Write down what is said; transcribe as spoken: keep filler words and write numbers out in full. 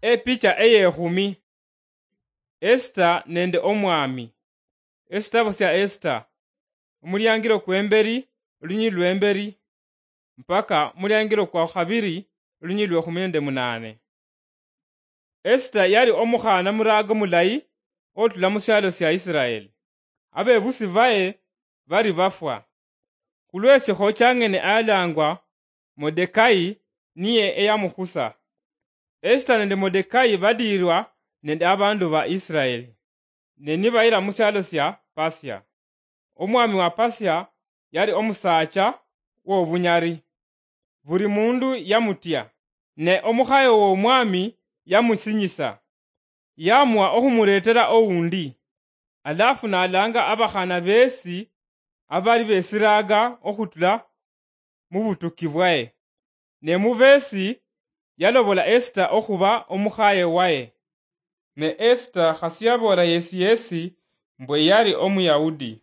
Epicha eyekhumi. Esita nende omwami. Esitabo sya Esita, omuliangiro kwemberi, olunyili lwemberi, mpaka omuliangiro kwa khabiri, olunyili lwekhumi nende munane. Esita yali omukhana murago mulayi otula mu syalo sya Isiraeli. Abebusi baye bari bafwa. Khulwesikho chang'ene alangwa Modekai niye eyamukhusa. Esita nende Modekai badiirwa nende abandu ba Isiraeli, ne nibayira mu syalo sya Pasia. Omwami wa Pasia yali omusaacha w'obunyari. Buli mundu yamutya, ne omukhaye w'omwami yamusinyisa. Yamuwa okhumuretera oundi, alafu nalanga abakhana besi abali besiraga okhutula mu butuki bwaye. Ne mubesi yalobola Esita okhuba omukhaye waye. Ne Esita khasi yaboola yesi yesi mbwe yali Omuyahudi.